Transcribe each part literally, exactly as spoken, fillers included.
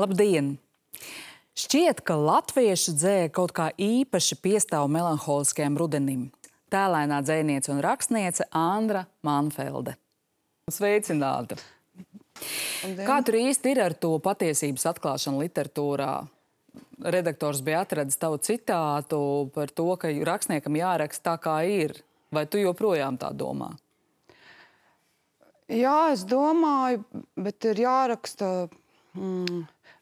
Labdien! Šķiet, ka latviešu dzēja kaut kā īpaši piestāv melanholiskajam rudenim. Tēlainā dzejniece un rakstniece Andra Manfelde. Sveicināta! Kā tur īsti ir ar to patiesības atklāšanu literatūrā? Redaktors bija atradis tavu citātu par to, ka rakstniekam jāraksta tā, kā ir. Vai tu joprojām tā domā? Jā, es domāju, bet ir jāraksta mm,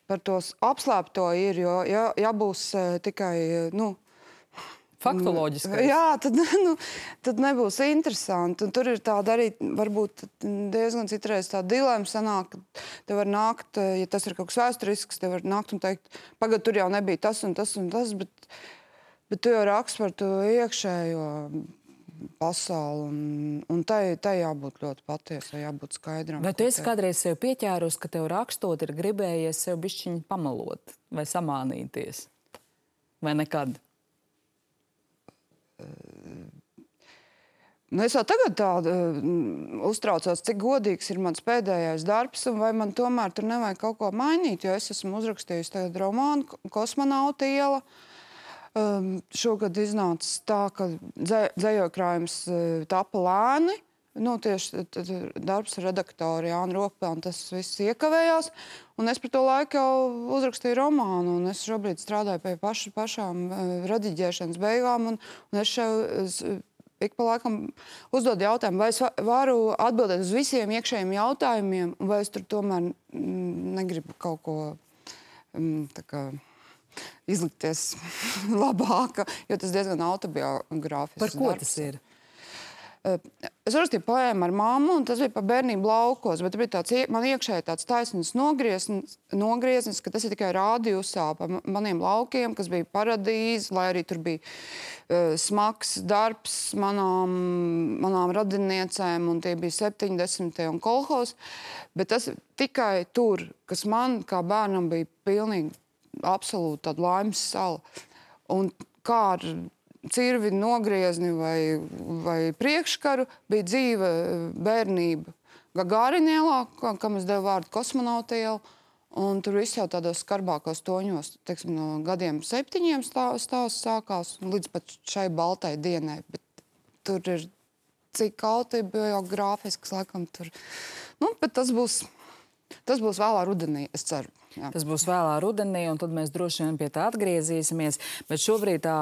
par tos apslēpto ir, jo ja, ja būs uh, tikai, nu... Faktoloģiskais. Jā, tad, nu, tad nebūs interesanti. Un tur ir tāda arī, varbūt diezgan citreiz tā dilema sanāk, ka te var nākt, ja tas ir kaut kas vēsturisks, te var nākt un teikt, pagad, tur jau nebija tas un tas un tas, bet, bet tu jau raksti par to iekšējo pasauli, un, un tai, tai jābūt ļoti patiesai, jābūt skaidram. Vai tu esi kādreiz sev pieķērus, ka tev rakstot ir gribējies sev bišķiņu pamalot vai samānīties? Vai nekad? Nu, es jau tagad tā uh, uztraucos, cik godīgs ir mans pēdējais darbs, un vai man tomēr tur nevajag kaut ko mainīt, jo es esmu uzrakstījusi tagad romānu Kosmonauta iela. Um, šogad iznācis tā, ka dzē, dzējojkrājums uh, tapa lēni. Nu, tieši t, t, darbs ar redaktoru Jānu Rokpelnu, tas viss iekavējās. Un es par to laiku jau uzrakstīju romānu, un es šobrīd strādāju pie paša, pašām uh, rediģēšanas beigām, un, un es šeit es, ik pa laikam uzdodu jautājumu, vai es varu atbildēt uz visiem iekšējiem jautājumiem, vai es tur tomēr mm, negribu kaut ko mm, tā kā izlikties labāka, jo tas diezgan autobiogrāfisks. Par ko darbs. tas ir? Es rakstīju poēmu ar mammu, un tas bija par bērnību laukos, bet bija tāds, man iekšēji tāds taisnīgs nogrieznis, nogrieznis, ka tas ir tikai rādījusā pa maniem laukiem, kas bija paradīze, lai arī tur bija uh, smags darbs manām, manām radiniecēm, un tie bija septiņdesmitie un kolhos, bet tas tikai tur, kas man kā bērnam bija pilnīgi absolūti tāda laimes sala. Un kā ar cirvi, nogriezni vai, vai priekškaru bija dzīve bērnība Gagārina ielā, kam es devu vārdu Kosmonauta iela, un tur viss jau tādos skarbākos toņos, teiksim, no gadiem septiņiem stāsts sākās, līdz pat šai baltai dienai, bet tur ir cik autobiogrāfisks, laikam tur, nu, bet tas būs, tas būs vēlā rudenī, es ceru. Jā. Tas būs vēlā rudenī, un tad mēs droši vien pie tā atgriezīsimies. Bet šobrīd tā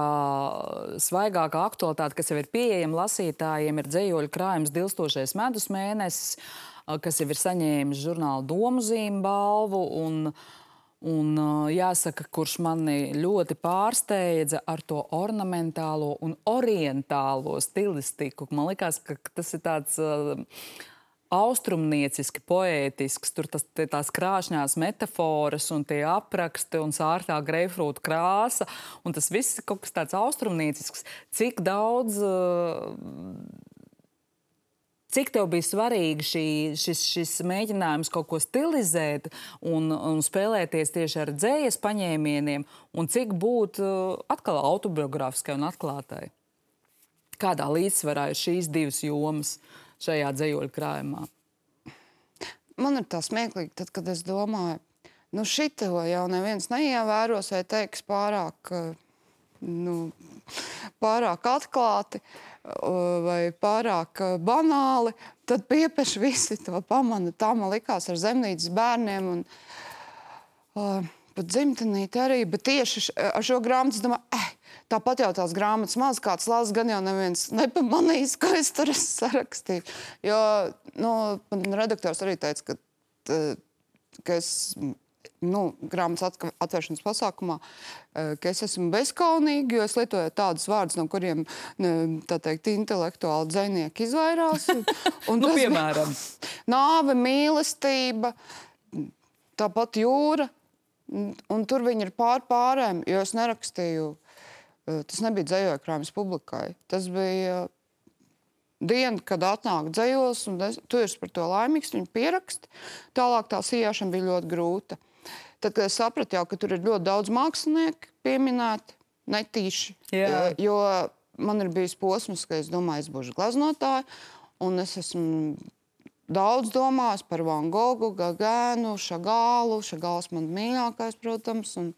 svaigākā aktualitāte, kas jau ir pieejama lasītājiem, ir dzejoļu krājums Dilstošais medus mēnesis, kas jau ir saņēmis žurnāla Domuzīme balvu. Un, un jāsaka, kurš mani ļoti pārsteidza ar to ornamentālo un orientālo stilistiku. Man likās, ka tas ir tāds austrumnieciski, poētisks, tur tas, tās krāšņās metaforas un tie apraksti un sārtā greifrūta krāsa, un tas viss ir kaut kas tāds austrumniecisks. Cik daudz, cik tev bija svarīgi šī, šis, šis mēģinājums kaut ko stilizēt un, un spēlēties tieši ar dzējas paņēmieniem, un cik būt atkal autobiogrāfiskai un atklātai? Kādā līdzsvarā ir šīs divas jomas šajā dzejoļu krājumā? Man ir tā smieklīgi, tad, kad es domāju, nu šito jau neviens neievēros vai teiks pārāk, nu, pārāk atklāti vai pārāk banāli, tad piepeši visi to pamana. Tā man likās ar Zemnīcas bērniem un uh, pat dzimtenīti arī, bet tieši ar šo grāmatu es domāju, eh, tāpat jau tās grāmatas maz kāds lās, gan jau neviens nepamanīs, ko es tur esmu sarakstīju. Jo, nu, redaktors arī teica, ka, ka es, nu, grāmatas atvēršanas pasākumā, ka es esmu bezkaunīgi, jo es lietoju tādus vārdus, no kuriem, tā teikt, intelektuāli dzejnieki izvairās. Un nu, piemēram? Nāve, mīlestība, tāpat jūra, un tur viņi ir pār pārēm, jo es nerakstīju. Tas nebija dzejojkrājums publikai. Tas bija diena, kad atnāk dzejos, un es, tu esi par to laimīgs, viņi pierakst. Tālāk tā sijāšana bija ļoti grūta. Tad, kad es sapratu jau, ka tur ir ļoti daudz mākslinieku pieminēti, netīši, Jā. jo man ir bijis posms, ka es domāju, es būšu gleznotāja, un es esmu daudz domājis par Van Gogu, Gagēnu, Šagālu. Šagāls man mīļākais, protams. Un,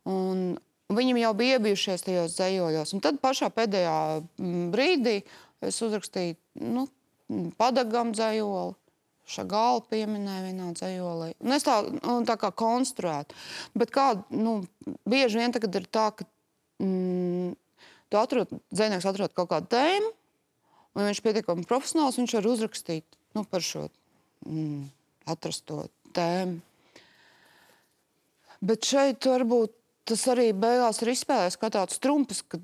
un viņam jau bija iebijušies tajos dzējoļos. Un tad pašā pēdējā brīdī es uzrakstīju nu, Padagam dzējoli. Šagālu pieminēja vienā dzējolī. Un es tā, un tā kā konstruētu. Bet kā, nu, bieži vien tagad ir tā, ka mm, tu atrod, dzējnieks atrod kaut kādu tēmu, un viņš pietiekami profesionāls, viņš var uzrakstīt nu, par šo mm, atrasto tēmu. Bet šeit varbūt tas arī beigās ir izspēlējis kā tāds trumpis, ka,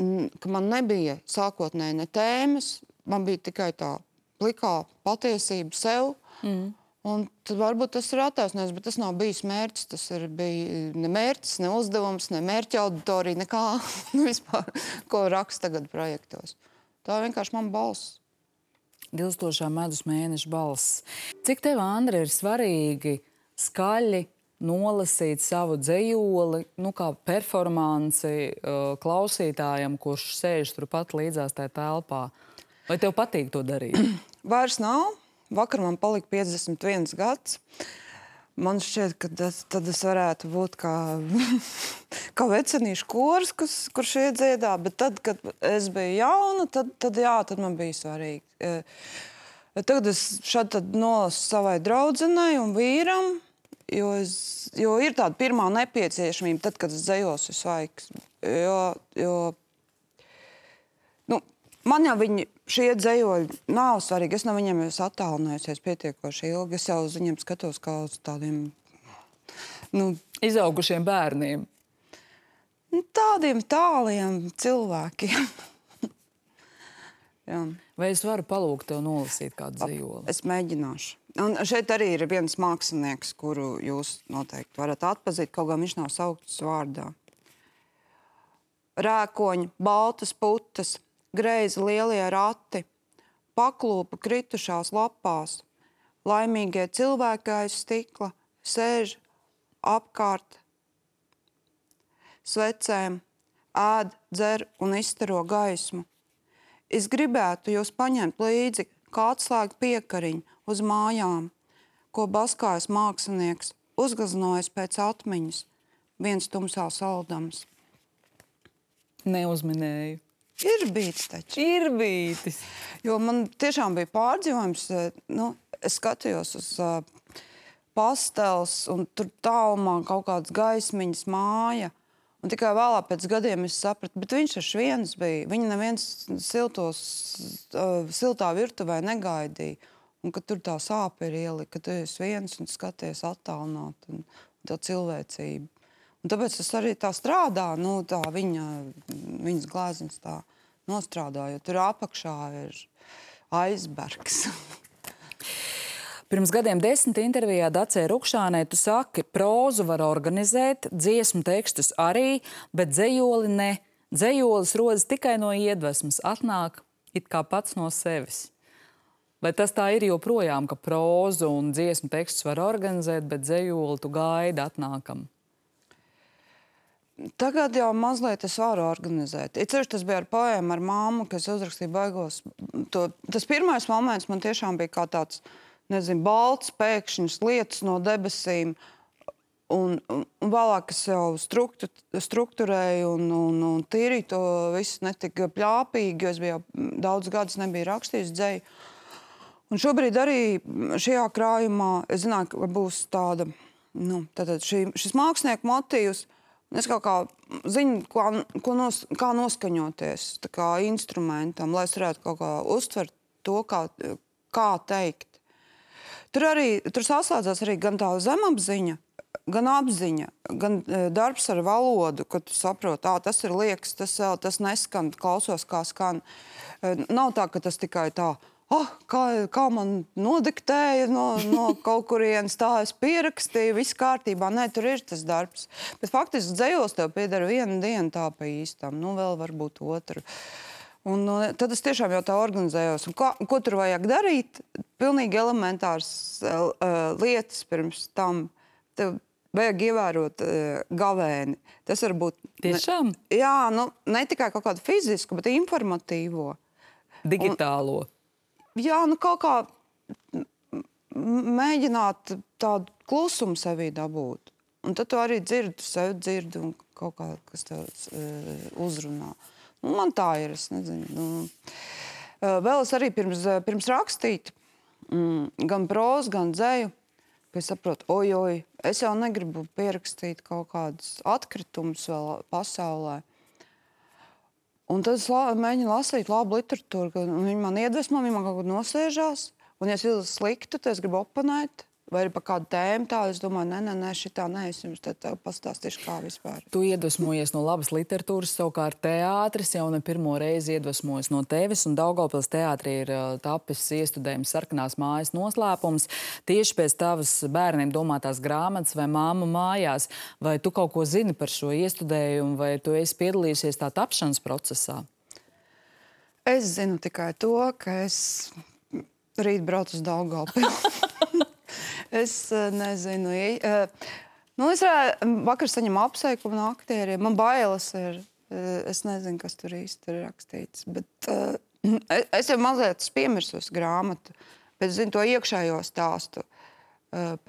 mm, ka man nebija sākotnēji ne tēmas, man bija tikai tā plikā patiesība sev. Mm. Un tad varbūt tas ir attaisnojums, bet tas nav bijis mērķis. Tas ir bija ne mērķis, ne uzdevums, ne mērķa auditorija, nekā nu, vispār, ko raksta tagad projektos. Tā vienkārši man balss. Dilstošā medus mēneša balss. Cik tev, Andra, ir svarīgi skaļi nolasīt savu dzejoli, nu, kā performanci uh, klausītājam, kurš sēž turpat līdzās tajā telpā? Vai tev patīk to darīt? Vairs nav. Vakar man palika piecdesmit viens gads. Man šķiet, ka tas, tad es varētu būt kā, kā vecenīšu kors, kas, kurš iedziedā. Bet tad, kad es biju jauna, tad, tad jā, tad man bija svarīgi. Tagad es šad tad nolasu savai draudzenei un vīram, jo, es, jo ir tāda pirmā nepieciešamība, tad, kad es dzējos visvaigs. Jo, jo nu, man jau viņi, šie dzējoļi nav svarīgi. Es no viņiem esmu attālinājusies pietiekoši ilgi. Es jau uz viņiem skatos kā uz tādiem... Nu, izaugušiem bērniem. Tādiem tāliem cilvēkiem. Jā. Vai es varu palūgt tev nolasīt kādu dzejoli? Es mēģināšu. Un šeit arī ir viens mākslinieks, kuru jūs noteikti varat atpazīt, kaut gan viņš nav saukts vārdā. Rēkoņi, baltas putas, greizi lielie rati, paklūpa kritušās lapās, laimīgie cilvēki aiz stikla sēž apkārt svecēm, ēd, dzer un izstaro gaismu. Es gribētu jūs paņemt līdzi kā atslēgu piekariņu uz mājām, ko baskājas mākslinieks, uzgaznojas pēc atmiņas, viens tumsā saldams. Neuzminēju. Ir bijis taču. Ir bijis. Jo man tiešām bija pārdzīvojums. Nu, es skatījos uz uh, pastels un tur tālumā kaut kādas gaismiņas māja. Un tikai vēlāk pēc gadiem es sapratu, bet viņš taču viens bija. Viņa neviens siltos, uh, siltā virtuvē negaidīja. Un kad tur tā sāpe ir ielika, ka tu esi viens un skaties attālināt un, un tā cilvēcība. Un tāpēc tas arī tā strādā, nu, tā viņa, viņas glāzens tā nostrādā, jo tur apakšā ir aizbergs. Pirms gadiem desmit intervijā Dacei Rukšānei tu saki, prózu var organizēt, dziesmu tekstus arī, bet dzejoli ne. Dzejolis rodas tikai no iedvesmas, atnāk it kā pats no sevis. Vai tas tā ir joprojām, ka prózu un dziesmu tekstus var organizēt, bet dzejoli tu gaidi atnākam? Tagad jau mazliet es varu organizēt. Ir ceļš, tas bija ar poēmu, ar māmu, kas uzrakstīja baigos. To, tas pirmais moments man tiešām bija kā tāds, nezinu, balts, pēkšņas lietas no debesīm. Un, un, un vēlāk es jau struktu, strukturēju un, un, un tīrīju to visu netika pļāpīgi, jo es biju jau daudz gadus nebiju rakstījis dzeju. Un šobrīd arī šajā krājumā es zināju, ka būs tāda, nu, tātad šī, šis mākslinieku motīvs. Es kaut kā zinu, ko, ko nos, kā noskaņoties tā kā instrumentam, lai es varētu kaut kā uztvert to, kā, kā teikt. Tur arī, tur saslēdzās arī gan tā zemapziņa, gan apziņa, gan darbs ar valodu, kad tu saproti, ā, tas ir liekas, tas, tas neskan, klausos, kā skan. Nav tā, ka tas tikai tā, oh, kā, kā man nodiktēja no, no kaut kurienes, tā es pierakstīju, viss kārtībā. Nē, tur ir tas darbs. Bet faktiski dzejos tev piedara viena diena tā pa īstam, nu vēl varbūt otru. Un nu, tad es tiešām jau tā organizējos. Un ko, ko tur vajag darīt? Pilnīgi elementārs uh, lietas pirms tam. Tev vajag ievērot uh, gavēni. Tas var būt... Tiešām? Ne, jā, nu, ne tikai kaut kādu fizisku, bet informatīvo. Digitālo. Un, jā, nu kaut kā mēģināt tādu klusumu sevī dabūt. Un tad tu arī dzirdi, tu sevi dzirdi un kaut kā, kas tev uh, uzrunā. Nu, man tā ir, es nezinu. Nu, uh, vēl es arī pirms, pirms rakstīt, mm, gan prózu, gan dzeju, ka es saprotu, oj, oj, es jau negribu pierakstīt kaut kādus atkritumus vēl pasaulē. Un tad es la, mēģinu lasīt labu literatūru, ka viņi man iedvesmo, viņi man kaut kur nosēžās. Un ja es jūtu sliktu, tad es gribu oponēt. Vai arī par kādu tēmu tādu, es domāju, nē, nē, nē, šitā nē, es jums te pastāstīšu, kā vispār. Tu iedvesmojies no labas literatūras, savukārt teātris jau ne pirmo reizi iedvesmojas no tevis, un Daugavpils teātrī ir uh, tapis iestudējums Sarkanās mājas noslēpums. Tieši pēc tavas bērniem domātās grāmatas vai Māma mājās, vai tu kaut ko zini par šo iestudējumu, vai tu esi piedalījusies tā tapšanas procesā? Es zinu tikai to, ka es rīt braucu uz Daugavpilu. Es nezinu. Nu, es vakar saņemu apsveikumu no aktieriem. Man bailes ir. Es nezinu, kas tur īsti ir rakstīts. Bet uh, es jau mazliet piemirsos grāmatu, bet zinu to iekšējo stāstu. Uh,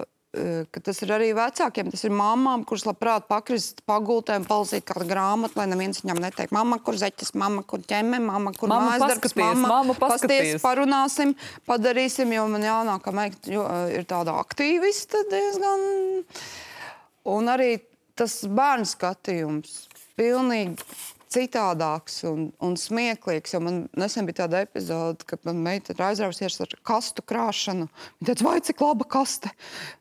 ka tas ir arī vecākiem, tas ir mammām, kuras labprāt pakrist pagultēm, palasīt kādu grāmatu, lai neviens viņam neteikt, mamma, kur zeķes, mamma, kur ķemme, mamma, kur mājasdarbs, mamma, mamma pasties, parunāsim, padarīsim, jo man jānākā meikt, jo ir tāda aktīvista diezgan. Un arī tas bērnu skatījums pilnīgi citādāks un, un smieklīgs, jo man nesen bija tāda epizode, kad man meita ir aizrausies ar kastu krāšanu. Viņa teica, vai cik laba kaste.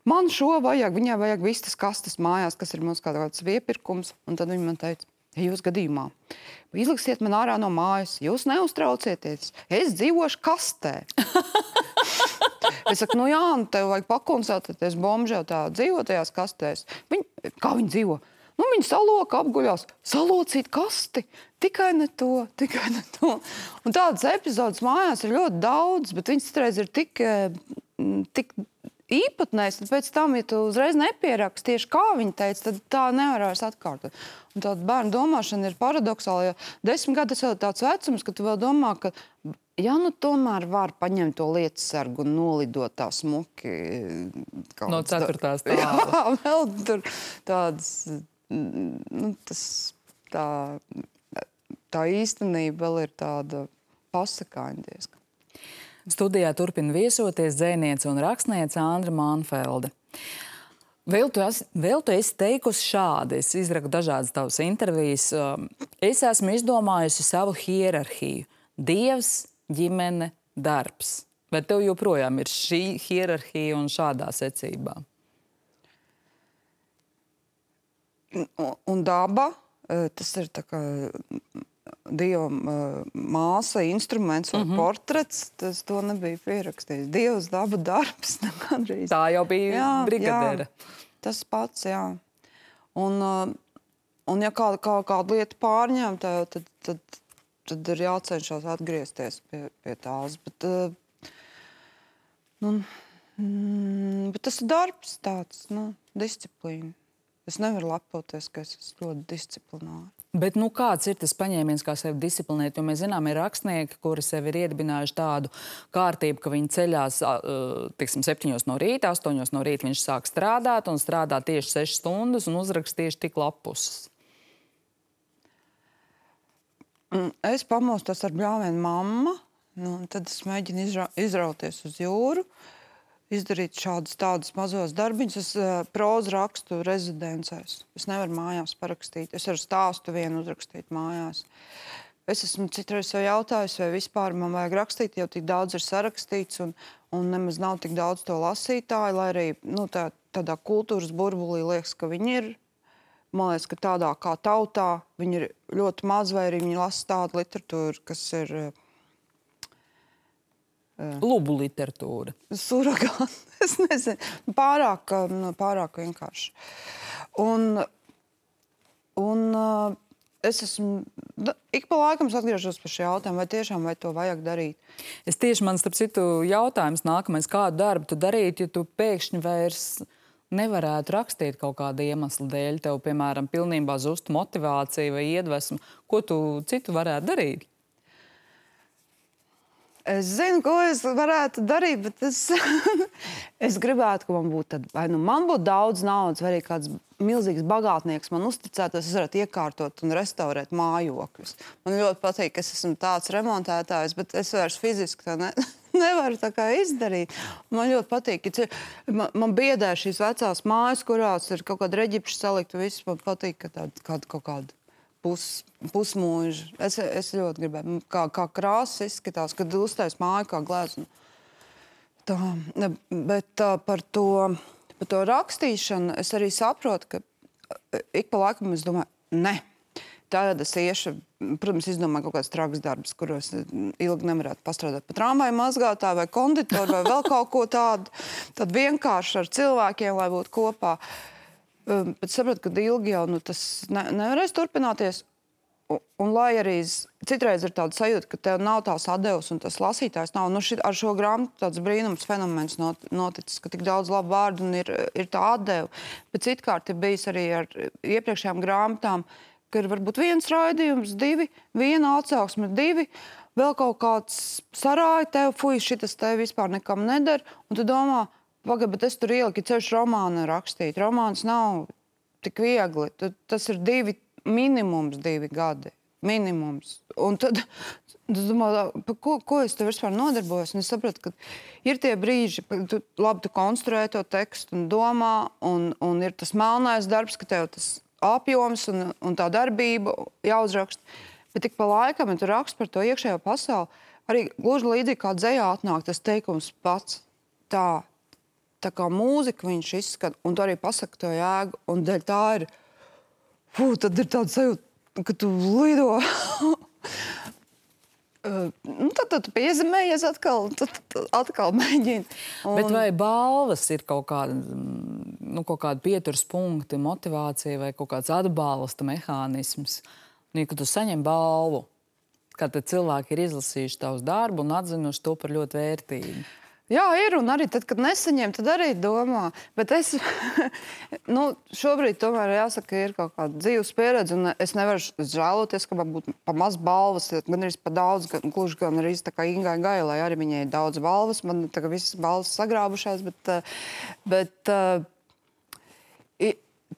Man šo vajag, viņai vajag vistas kastes mājās, kas ir mums kāds viepirkums. Un tad viņa man teica, ja jūs gadījumā izliksiet man ārā no mājas, jūs neuztraucieties, es dzīvošu kastē. Es saku, nu jā, nu tev vajag pakonsultēties, bomžē tā dzīvo tajās kastēs. Viņa, kā viņa dzīvo? Nu, viņi saloka, apguļās, salocīt kasti. Tikai ne to, tikai ne to. Un tādas epizodes mājās ir ļoti daudz, bet viņas citreiz ir tik, tik īpatnēs, tad pēc tam, ja tu uzreiz nepieraksti tieši kā viņi teica, tad tā nevar vairs atkārtot. Un tāda bērnu domāšana ir paradoxāla, jo desmit gadi tas vēl tāds vecums, ka tu vēl domā, ka ja nu tomēr var paņemt to lietasargu un nolidot tā smuki. No ceturtās tā. Jā, vēl tur tādas... Nu, tas, tā, tā īstenība vēl ir tāda pasakāņa diezgan. Studijā turpina viesoties dzejniece un rakstniece Andra Manfelde. Vēl tu, esi, vēl tu esi teikusi šādi, es izraku dažādas tavas intervijas. Es esmu izdomājusi savu hierarhiju. Dievs, ģimene, darbs. Bet tev joprojām ir šī hierarhija un šādā secībā? Un, un daba, tas ir tā kā Dieva māsa, instruments vai mm-hmm. portrets, tas to nebija pierakstījis. Dievs, daba, darbs. Tā jau bija jā, brigadēra. Jā, tas pats, jā. Un, un ja kāda, kā, kāda lieta pārņem, tad, tad, tad, tad ir jācenšas atgriezties pie, pie tās. Bet, nu, mm, bet tas ir darbs tāds, nu, disciplīna. Es nevaru lepoties, ka es esmu ļoti disciplināri. Bet nu, kāds ir tas paņēmiens, kā sevi disciplinēt? Jo mēs zinām, ir rakstnieki, kuri sev ir iedibinājuši tādu kārtību, ka viņi ceļās tiksim, septiņos no rīta, astoņos no rīta viņš sāk strādāt un strādā tieši sešas stundas un uzrakst tieši tik lapuses. Es pamostos ar bļāvienu mamma, nu, tad es mēģinu izra izrauties uz jūru, izdarīt šādus tādus mazos darbiņus. Es uh, prózu rakstu rezidencēs. Es nevaru mājās parakstīt. Es varu stāstu vienu uzrakstīt mājās. Es esmu citreiz sev jautājusi, vai vispār man vajag rakstīt, jo tik daudz ir sarakstīts un, un nemaz nav tik daudz to lasītāju, lai arī nu, tā, tādā kultūras burbulī liekas, ka viņi ir. Man liekas, ka tādā kā tautā viņi ir ļoti maz, vai arī viņi lasa tādu literatūru, kas ir... Lubu literatūra. Suragāni. Es nezinu. Pārāk, pārāk vienkārši. Un, un es esmu... Ik pa laikam atgriežos par šī jautājumu, vai tiešām vai to vajag darīt. Es tieši man starp citu jautājums nākamais, kādu darbu tu darītu, ja tu pēkšņi vairs nevarētu rakstīt kaut kāda iemesla dēļ. Tev, piemēram, pilnībā zustu motivācija vai iedvesma. Ko tu citu varētu darīt? Es zinu, ko es varētu darīt, bet es, es gribētu, ka man būtu tad, vai nu man būtu daudz naudas, vai arī kāds milzīgs bagātnieks man uzticētos, es varētu iekārtot un restaurēt mājokļus. Man ļoti patīk, ka es esmu tāds remontētājs, bet es vairs fiziski tā ne, nevaru tā kā izdarīt. Man ļoti patīk, ka man, man biedē šīs vecās mājas, kurās ir kaut kāda reģipša salikt, un viss man patīk, ka tāda kāda, kaut kāda pus, pusmūža. Es, es ļoti gribētu, kā, kā krāsas izskatās, kad uztais māju kā gleznu. Tā, ne, bet tā, par to... Par to rakstīšanu es arī saprotu, ka ik pa laikam es domāju, ne. Tagad es iešu, protams, izdomāju kaut kāds traks darbs, kuros ilgi nevarētu pastrādāt pa tramvaju mazgātāju vai konditoru vai vēl kaut ko tādu, tad vienkārši ar cilvēkiem, lai būtu kopā. Bet saprotu, ka ilgi jau nu, tas ne, nevarēs turpināties. Un, un lai arī citreiz ir tāda sajūta, ka tev nav tās atdevas un tas lasītājs nav. Nu, šit, ar šo grāmatu tāds brīnums fenomens not, noticis, ka tik daudz labu vārdu un ir, ir tā atdeva. Bet citkārt ir bijis arī ar iepriekšējām grāmatām, ka ir varbūt viens raidījums, divi, viena atsauksme, divi, vēl kaut kāds sarāja tev, fuj, šitas tev vispār nekam nedara. Un tu domā, pagaid, bet es tur ieliku ceļš romānu rakstīt. Romāns nav tik viegli. Tu, tas ir divi minimums divi gadi. Minimums. Un tad es domāju, par ko, ko es te vispār nodarbojos? Un es sapratu, ka ir tie brīži, kad tu labi tu konstruē to tekstu un domā, un, un ir tas melnais darbs, ka tev tas apjoms un, un tā darbība jāuzraksta. Bet tik pa laikam, ja tu raksti par to iekšējo pasauli, arī gluži līdzīgi kā dzejā atnāk tas teikums pats tā, tā kā mūzika viņš izskat, un tu arī pasaka to jēgu, un dēļ tā ir Fū, tad ir tāda sajūta, ka tu lido. nu, tad, tad tu piezemējies atkal, tad, tad atkal mēģini. Un... Bet vai balvas ir kaut kāda, nu, kaut kāda pieturas punkti, motivācija vai kaut kāds atbalsta mehānisms? Nu, kad tu saņem balvu, kad cilvēki ir izlasījuši tavus darbu un atzinuši to par ļoti vērtīgu. Jā, ir, un arī tad, kad nesaņem, tad arī domā. Bet es, nu, šobrīd tomēr jāsaka, ir kaut kāda dzīves pieredze, un es nevaru žēloties, ka man būtu pa maz balvas, gan arī pa daudz, gan, gluži gan arī tā kā Ingai Gailai, arī viņai ir daudz balvas, man tā kā visas balvas sagrābušās, bet, bet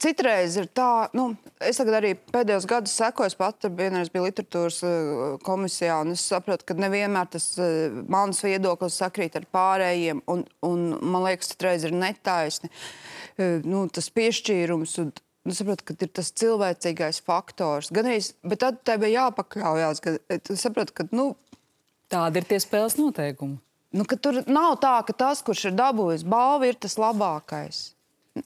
citreiz ir tā, nu, es tagad arī pēdējos gadus sekoju, es pat vienreiz biju literatūras komisijā, un es saprotu, ka nevienmēr tas mans viedoklis sakrīt ar pārējiem, un, un man liekas, citreiz ir netaisni. Nu, tas piešķīrums, un es saprotu, ka ir tas cilvēcīgais faktors. Gan arī, bet tad tev ir jāpakļaujās, ka tu saproti, ka, nu... Tādi ir tie spēles noteikumi. Nu, ka tur nav tā, ka tas, kurš ir dabūjis balvu, ir tas labākais.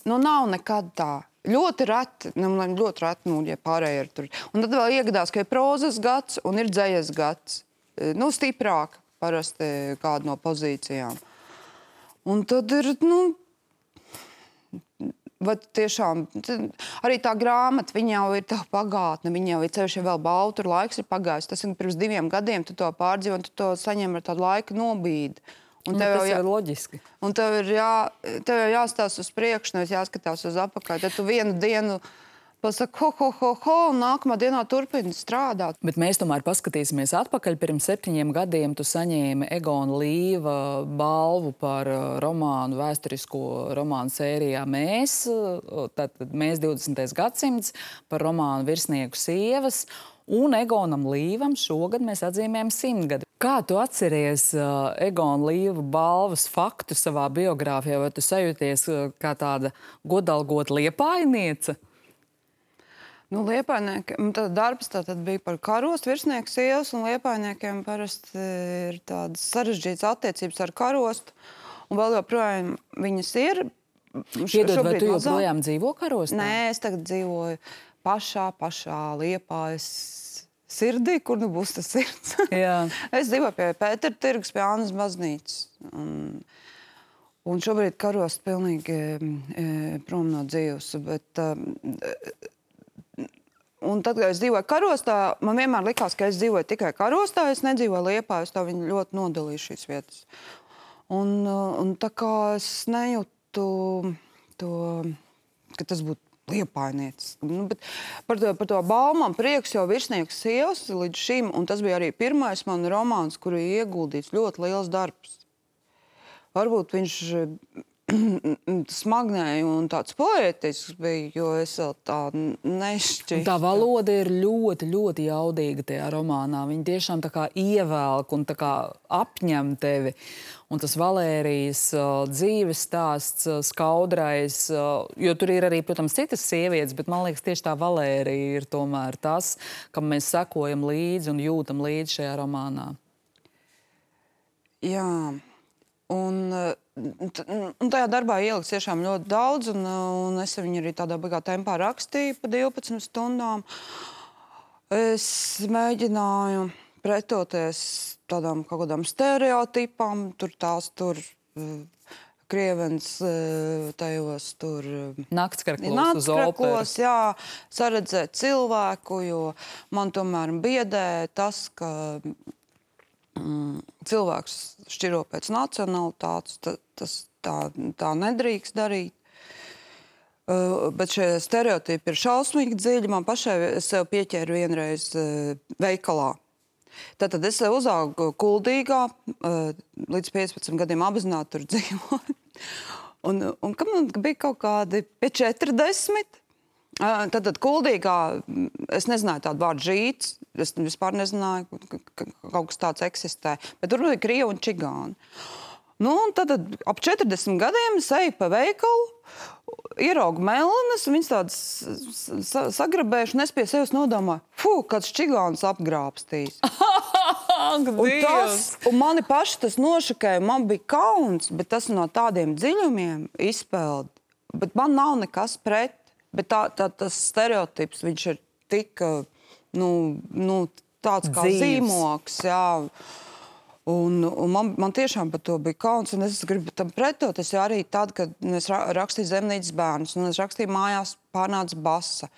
Nu, nav nekad tā. Ļoti reti, nu, ļoti reti, nu, ja pārējie ir tur. Un tad vēl iegadās, ka ir prozas gads un ir dzejas gads. Nu, stiprāk parasti kāda no pozīcijām. Un tad ir, nu, vai tiešām, arī tā grāmata, viņa jau ir tā pagātne, viņa jau ir ceļš, ja vēl balvu, tur laiks ir pagājis. Tas ir pirms diviem gadiem, tu to pārdzīvo un tu to saņem ar tādu laika nobīdi. Un un tev tas jau ir loģiski. Un tev ir, jā, tev ir jāstās uz priekšu, nevis jāskatās uz apakaļ. Tad tu vienu dienu pasaki, ho, ho, ho, ho, un nākamā dienā turpini strādāt. Bet mēs tomēr paskatīsimies atpakaļ. Pirms septiņiem gadiem tu saņēmi Egona Līva balvu par romānu, vēsturisko romānu sērijā Mēs, tātad Mēs divdesmitais gadsimts, par romānu Virsnieku sievas. Un Egonam Līvam šogad mēs atzīmējam simtgadi. Kā tu atceries uh, Egona Līva balvas faktu savā biogrāfijā? Vai tu sajūties uh, kā tāda godalgota liepājniece? Nu, liepājniekiem, tad darbs tā tad bija par karostu virsnieku sievas, un liepājniekiem parasti ir tādas sarežģītas attiecības ar karostu. Un vēl joprojām viņas ir. Piedod, vai tu joprojām dzīvo karostā? Nē, es tagad dzīvoju pašā, pašā Liepājas sirdī, kur nu būs tas sirds. Jā. Es dzīvoju pie Pētera tirgus, pie Annas baznīcas. Un, un šobrīd karost pilnīgi e, prom no dzīves. Bet, e, un tad, kad es dzīvoju karostā, man vienmēr likās, ka es dzīvoju tikai karostā, es nedzīvoju Liepājā, tā viņi ļoti nodalīja šīs vietas. Un, un tā kā es nejūtu to, ka tas būtu liepainietis. Nu, bet par to, par to balvu man prieks, jo Virsnieks sievas līdz šim, un tas bija arī pirmais man romāns, kuru ieguldīts ļoti liels darbs. Varbūt viņš smagnēja un tāds poētisks bija, jo es vēl tā nešķistu. Tā valoda ir ļoti, ļoti jaudīga tajā romānā. Viņa tiešām tā kā ievelk un tā kā apņem tevi. Un tas Valērijas uh, dzīves stāsts, uh, skaudrais, uh, jo tur ir arī, protams, citas sievietes, bet man liekas, tieši tā Valērija ir tomēr tas, kam mēs sekojam līdzi un jūtam līdzi šajā romānā. Jā. Un, un tajā darbā ieliks tiešām ļoti daudz, un, un es viņu arī tādā baigā tempā rakstīju pa divpadsmit stundām. Es mēģināju pretoties tādām kaut kādām stereotipām, tur tās tur krievens tajos tur... Naktskarklos uz operas. Jā, saredzēt cilvēku, jo man tomēr biedē tas, ka... cilvēks šķiro pēc nacionalitātes, ta, tas tā, tā nedrīkst darīt. Uh, bet šie stereotipi ir šausmīgi dziļi. Man pašai es sev pieķēru vienreiz uh, veikalā. Tātad es sev uzaugu Kuldīgā, uh, līdz piecpadsmit gadiem apzināti tur dzīvoju. un, un kad man bija kaut kādi pie četrdesmit, Tātad Kuldīgā es nezināju tādu vārdu žīts, es vispār nezināju, ka kaut kas tāds eksistē, bet tur bija krievi un čigāni. Nu, un tad ap četrdesmit gadiem es eju pa veikalu, ieraugu melenes, viņas tādas sagrabējuši, un es pie sevis nodomāju, fu, kāds čigāns apgrābstīs. un, tas, un mani paši tas nošakēja, man bija kauns, bet tas no tādiem dziļumiem izpeld, bet man nav nekas pret. Bet tā, tā, tas stereotips, viņš ir tik, nu, nu, tāds kā Dzīves. zīmoks, jā. Un, un man, man tiešām par to bija kauns, un es gribu tam pretot. Es arī tad, kad es rakstīju Zemnīcas bērnus, un es rakstīju mājās pārnāca basa.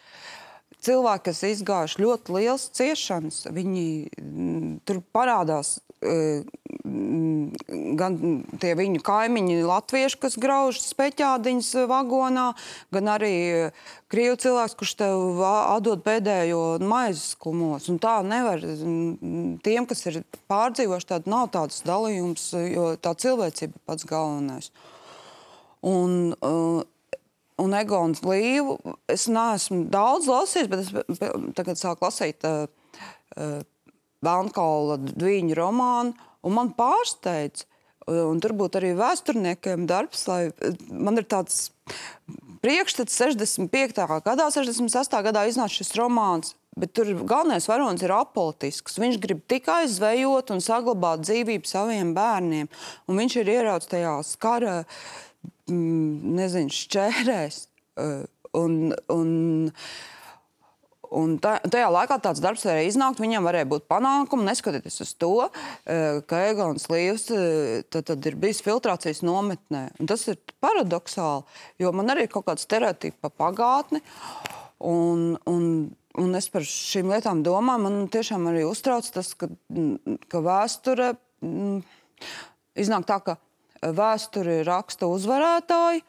Cilvēki, kas izgājuši ļoti liels ciešanas, viņi m, tur parādās e, m, gan tie viņu kaimiņi latvieši, kas grauž speķādiņas vagonā, gan arī krievu cilvēks, kurš tev atdod pēdējo maizes kumos. Un tā nevar, tiem, kas ir pārdzīvoši, tāda nav tāds dalījums, jo tā cilvēcība ir pats galvenais. Un... Uh, Un Egons Līvu es neesmu daudz lasījis, bet es tagad sāku lasīt uh, uh, Velnkaula Dvīņu romānu, un man pārsteidz, un tur būtu arī vēsturniekiem darbs, lai man ir tāds priekšstats sešdesmit piektā gadā, sešdesmit sestā gadā iznāca šis romāns, bet tur galvenais varonis ir apolitisks. Viņš grib tikai zvejot un saglabāt dzīvību saviem bērniem, un viņš ir ieraudzis tajās kara nezinu, šķērēs. Un, un, un tajā laikā tāds darbs varēja iznākt, viņam varēja būt panākumi, neskatoties uz to, ka Egons Līvs tad, tad ir bijis filtrācijas nometnē. Un tas ir paradoxāli, jo man arī ir kaut kāda stereotipa pa pagātni, un, un, un es par šīm lietām domāju, man tiešām arī uztrauc tas, ka, ka vēsture m, iznāk tā, ka vēsturi raksta uzvarētāji,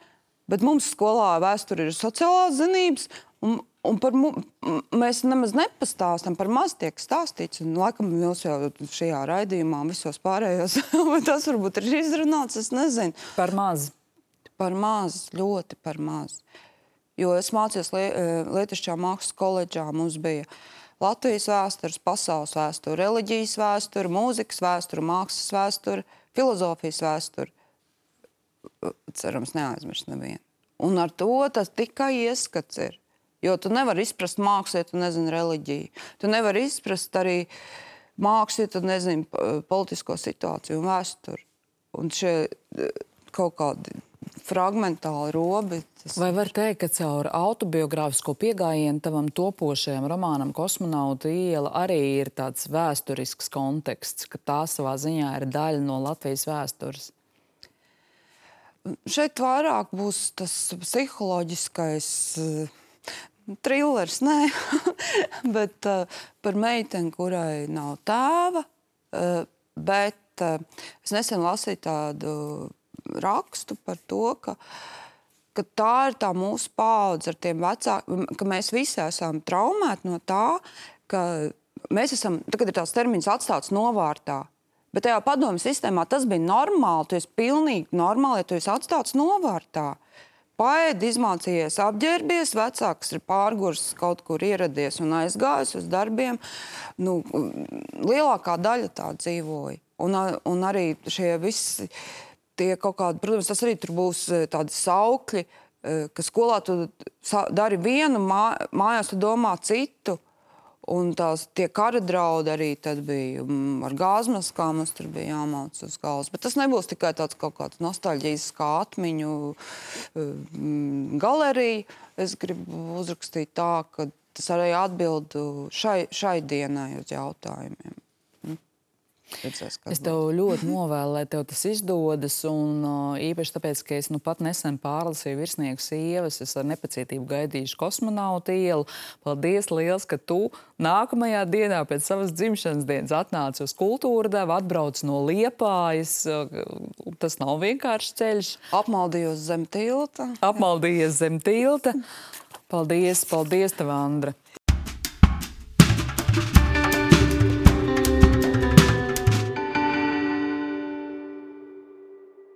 bet mums skolā vēsturi ir sociālās zinības, un, un par mu, mēs nemaz nepastāstam, par maz tiek stāstīts, un laikam jūs jau šajā raidījumā visos pārējos, bet tas varbūt ir izrunāts, es nezinu. Par maz. Par maz, ļoti par maz. Jo es mācījos Lietišķā mākslas koledžā, mums bija Latvijas vēstures, pasaules vēsture, reliģijas vēsture, mūzikas vēsture, mākslas vēsture, filozofijas vēsture. Cerams, neaizmirst nevienu. Un ar to tas tikai ieskats ir. Jo tu nevari izprast mākslu, ja tu nezini reliģiju. Tu nevari izprast arī mākslu, ja tu nezini politisko situāciju un vēsturi. Un šie kaut kādi fragmentāli robi. Tas... Vai var teikt, ka caur autobiogrāfisko piegājienu tavam topošajam romānam Kosmonauta iela arī ir tāds vēsturisks konteksts, ka tā savā ziņā ir daļa no Latvijas vēstures? Šeit vairāk būs tas psiholoģiskais uh, trillers, nē, bet uh, par meiteni, kurai nav tēva, uh, bet uh, es nesen lasīju tādu rakstu par to, ka ka tā ir tā mūsu paudze ar tiem vecākiem, ka mēs visi esam traumēti no tā, ka mēs esam, tagad ir tās termiņas atstāts novārtā. Bet tajā padomu sistēmā tas bija normāli, tu esi pilnīgi normāli, ja tu esi atstāts novārtā. Paēdi, izmācījies, apģērbies, vecāks ir pārgurs, kaut kur ieradies un aizgājis uz darbiem. Nu, lielākā daļa tā dzīvoja. Un, un arī šie visi, tie kaut kādi, protams, tas arī tur būs tādi saukļi, ka skolā tu dari vienu, mā, mājās tu domā citu. Un tās tie kara draudi arī tad bija ar gāzmaskām, mums tur bija jāmauc uz galvas. Bet tas nebūs tikai tāds kaut kāds nostalģijas kā atmiņu galerija. Es gribu uzrakstīt tā, ka tas arī atbild šai, šai dienai uz jautājumiem. Redzēs, es tev ļoti novēlu, lai tev tas izdodas, un uh, īpaši tāpēc, ka es nu pat nesen pārlasīju virsnieku sievas, es ar nepacietību gaidīšu Kosmonauta ielu. Paldies liels, ka tu nākamajā dienā pēc savas dzimšanas dienas atnāci uz Kultūra devu, atbrauc no Liepājas. Tas nav vienkārši ceļš. Apmaldījos zem tilta. Apmaldījies zem tilta. Paldies, paldies tev, Andra.